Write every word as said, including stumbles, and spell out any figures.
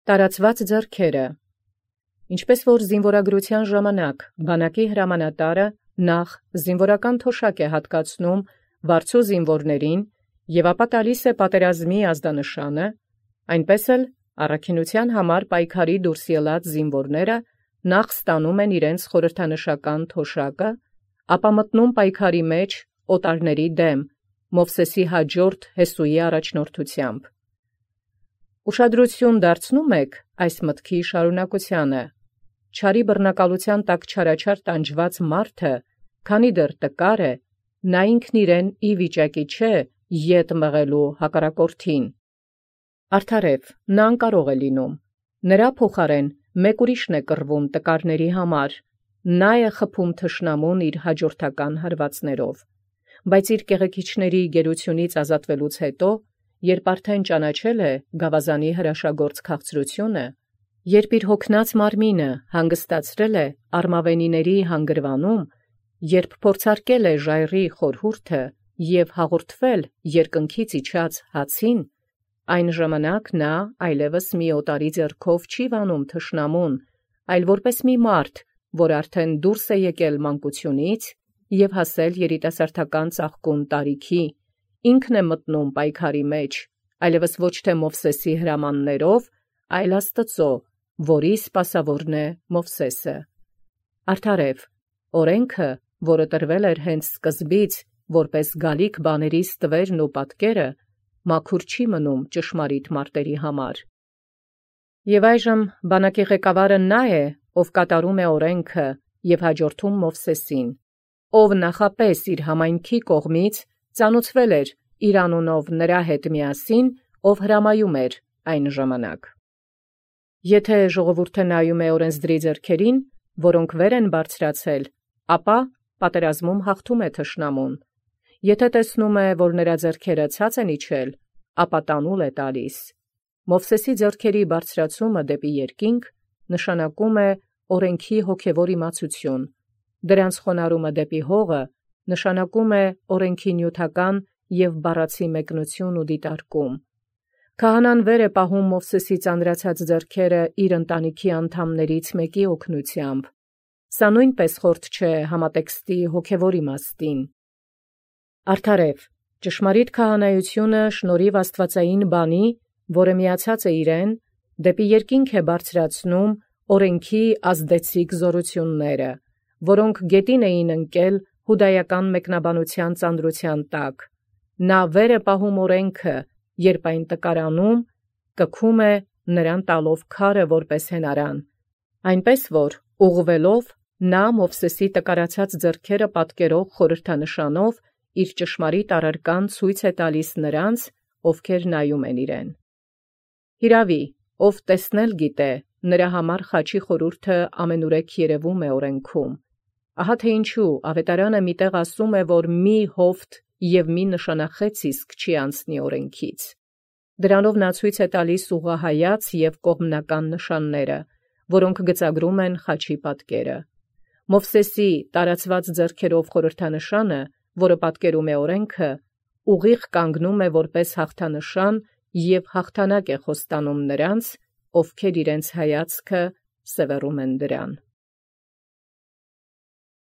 Տարածված ձեռքերը։ Ինչպես որ զինվորագրության ժամանակ բանակի հրամանատարը նախ զինվորական թոշակ է հատկացնում վարձու զինվորներին և ապա տալիս է պատերազմի ազդանշանը, այնպես էլ առաքինության համար պայքարի դուրս ելած զինվորները նախ ստանում են իրենց խորհրդանշական թոշակը, ապա մտնում պայքարի մեջ օտարների դեմ Մովսեսի հաջորդ Հեսուի առաջնորդությամբ։ Ուշադրություն դարձնում եք այս մտքի շարունակությանը։ Չարի բռնակալության տակ չարաչար տանջված մարդը, քանի դեռ տկար է, նա ինքն իրեն ի վիճակի չէ ետ մղելու հակառակորդին։ Արդարև, նա անկարող է լինում։ Նրա փոխարեն մեկ ուրիշն է կռվում տկարների համար, նա է խփում թշնամուն իր հաջորդական հարվածներով։ Բայց իր կեղեքիչների գերությունից ազատվելուց հետո, երբ արդեն ճանաչել է գավազանի հրաշագործ քաղցրությունը, երբ իր հոգնած մարմինը հանգստացրել է արմավենիների հանգրվանում, երբ փորձարկել է ժայռի խորհուրդը և հաղորդվել երկնքից իջած հացին, այն ժամանակ նա այլևս մի օտարի ձեռքով չի վանում թշնամուն, այլ որպես մի մարդ, որ արդեն դուրս է եկել մանկությունից և հասել երիտասարդական ծաղկուն տարիքի, ինքն է մտնում պայքարի մեջ, այլևս ոչ թե Մովսեսի հրամաններով, այլ Աստծո, որի սպասավորն է Մովսեսը։ Արդարև, օրենքը, որը տրվել էր հենց սկզբից, որպես գալիք բաների ստվերն ու պատկերը, մաքուր չի մնում ճշմարիտ մարտերի համար։ Եվ այժմ բանակի ղեկավարը նա է, ով կատարում է օրենքը և հաջորդում Մովսեսին, ով նախապես իր համայնքի կողմից ծանուցվել էր իր անունով նրա հետ միասին, ով հրամայում էր այն ժամանակ։ Եթե ժողովուրդը նայում է օրենսդրի ձեռքերին, որոնք վեր են բարձրացել, ապա պատերազմում հաղթում է թշնամուն։ Եթե տեսնում է, որ նրա ձեռքերը ցած են իջել, ապա տանուլ է տալիս։ Մովսեսի ձեռքերի բարձրացումը դեպի երկինք նշանակում է օրենքի հոգևոր իմացություն, դրանց խոնարհումը դեպի հողը նշանակում է օրենքի նյութական և բառացի մեկնություն ու դիտարկում։ Քահանան վեր է պահում Մովսեսի ծանրացած ձեռքերը իր ընտանիքի անդամներից մեկի օգնությամբ։ Սա նույնպես խորթ չէ համատեքստի հոգևոր իմաստին։ Արդարև, ճշմարիտ քահանայությունը շնորհիվ աստվածային բանի, որը միացած է իրեն, դեպի երկինք է բարձրացնում օրենքի ազդեցիկ զորությունները, որոնք գետին էին ընկել հուդայական մեկնաբանության ծանրության տակ։ Նա վեր է պահում օրենքը, երբ այն տկարանում, կքում է նրան տալով քարը որպես հենարան, այնպես որ ուղղվելով նա Մովսեսի տկարացած ձեռքերը պատկերող խորհրդանշանով իր ճշմարիտ առարկան ցույց է տալիս նրանց, ովքեր նայում են իրեն։ Հիրավի, ով տեսնել գիտե, նրա համար խաչի խորհուրդը ամենուրեք երևում է օրենքում։ Ահա թե ինչու ավետարանը միտեղ ասում է, որ մի հովտ և մի նշանախեց իսկ չի անցնի օրենքից։ Դրանով նա ցույց է տալիս ուղղահայաց և կողմնական նշանները, որոնք գծագրում են խաչի պատկերը։ Մովսեսի տարածված ձեռքերով խորհրդանշանը, որը պատկերում է օրենքը, ուղիղ կանգնում է որպես հաղթանշան և հաղթանակ է խոստանում նրանց, ովքեր իրենց հայացքը սևեռում են դրան։